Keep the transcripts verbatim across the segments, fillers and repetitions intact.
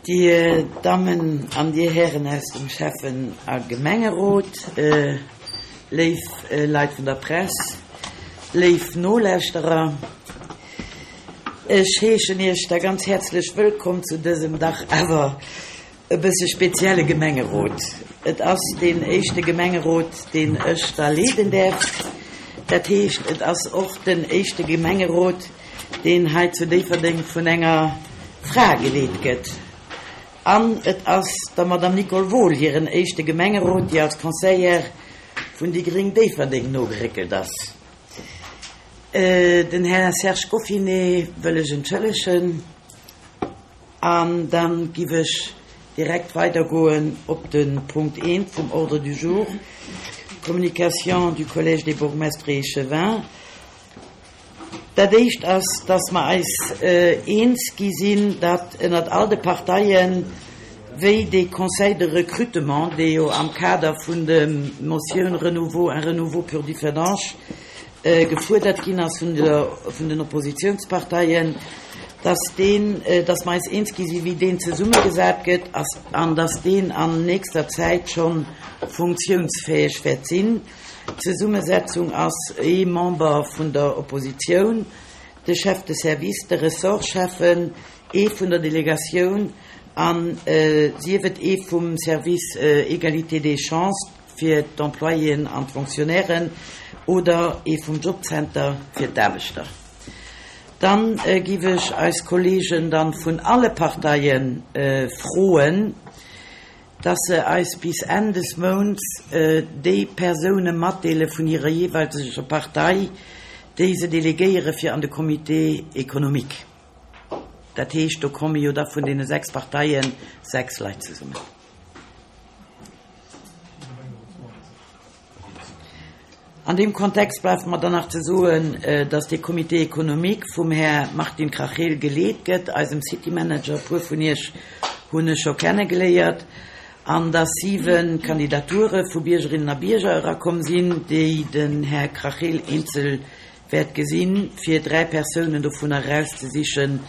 Dir Dammen an Dir Hären aus dem Schäffen a Gemengerot, léif Leit vun der Press, léif Nolauschterer, ech heeschen Iech da ganz häerzlech wëllkomm zu dësem dach awer e bësse spezielle Gemengerot. Et ass deen éischte Gemengerot, deen ech da leeden däerf. Dat heescht, et ass och den éischte Gemengerot, deen hei zu Déifferdeng vun enger Fra geleet gëtt. An et ass der Madame Nicole Wohl hiren éischte Gemengerot, déi als Conseillère vun déi gréng Déifferdeng nogeréckelt ass. Den Här Serge Goffinet wëll ech entschëllegen an da giff ech direkt weidergoen op de Punkt eent vum Ordre du jour, Communication du Collège des bourgmestres et échevins. Dat éischt ass, dass mer eis eens gi sinn, datt ënnert all de Parteien, wéi dee Conseil de recrutement, dee jo am Kader vun der Motioun Renouveau, un renouveau pour Differdange gefuerdert ginn ass vun der, vun den Oppositionsparteien, dass deen, dass mer eis eens gi sinn, wéi deen zesummegesat gëtt ass an dass deen an nächster Zäit scho funktionsfäeg wäert sinn. D'Zesummesetzung ass ee Member vun der Oppositioun, de Chef de service, de Ressortschäffen, ee vun der Delegatioun an sief et ee vum Service Égalité des chances fir d'Employéen an d'Fonctionnairen oder ee vum Jobcenter fir d'Aarbechter. Dann giff ech eis Kollegen dann vun alle Parteien froen, dass se eis bis Enn des Mounts déi Persoune matdeele vun hirer jeeweileger Partei, déi se delegéiere fir an de Comité économique. Dat heescht, do komme jo da vun deene sechs Parteie sechs Leit zesummen. An deem Kontext bleift mer dann nach ze soen, dass dee Comité économique vum Här Martin Crachel geleet gëtt, eisem City Manager, e puer vun Iech hunn e scho kennegeléiert, an dass siwe Kandidature vu Biergerinnen a Bierger erakomm sinn, déi den Här Crachel eenzel wäert gesinn, fir dräi Persounen dovunner erauszesichen.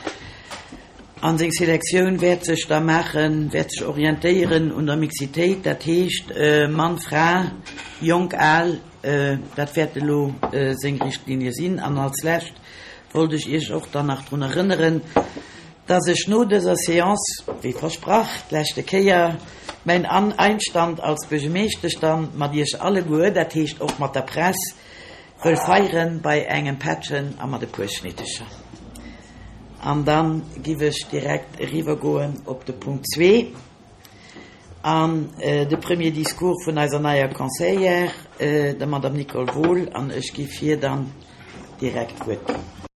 An seng Selektioun wäert sech da maachen, wäert sech orientéieren un der Mixitéit, dat heescht Mann, Fra, jonk, al, dat wäert elo seng Richtlinie sinn. An als Lescht wollt ech Iech och dann nach drun erënneren, dass ech no dëser Séance, wéi versprach d'leschte Kéier, mäin Einstand als Buergermeeschtesch dann mat Iech alleguer, dat heescht och mat der Press, wëll feieren bei engem Pättchen a mat e puer Schnittecher. An dann giff ech direkt eriwwer goen op de Punkt zwee an de premier Discours vun eiser neier Conseillère, der Madame Nicole Wohl, an ech giff hir dann direkt d'Wuert ginn.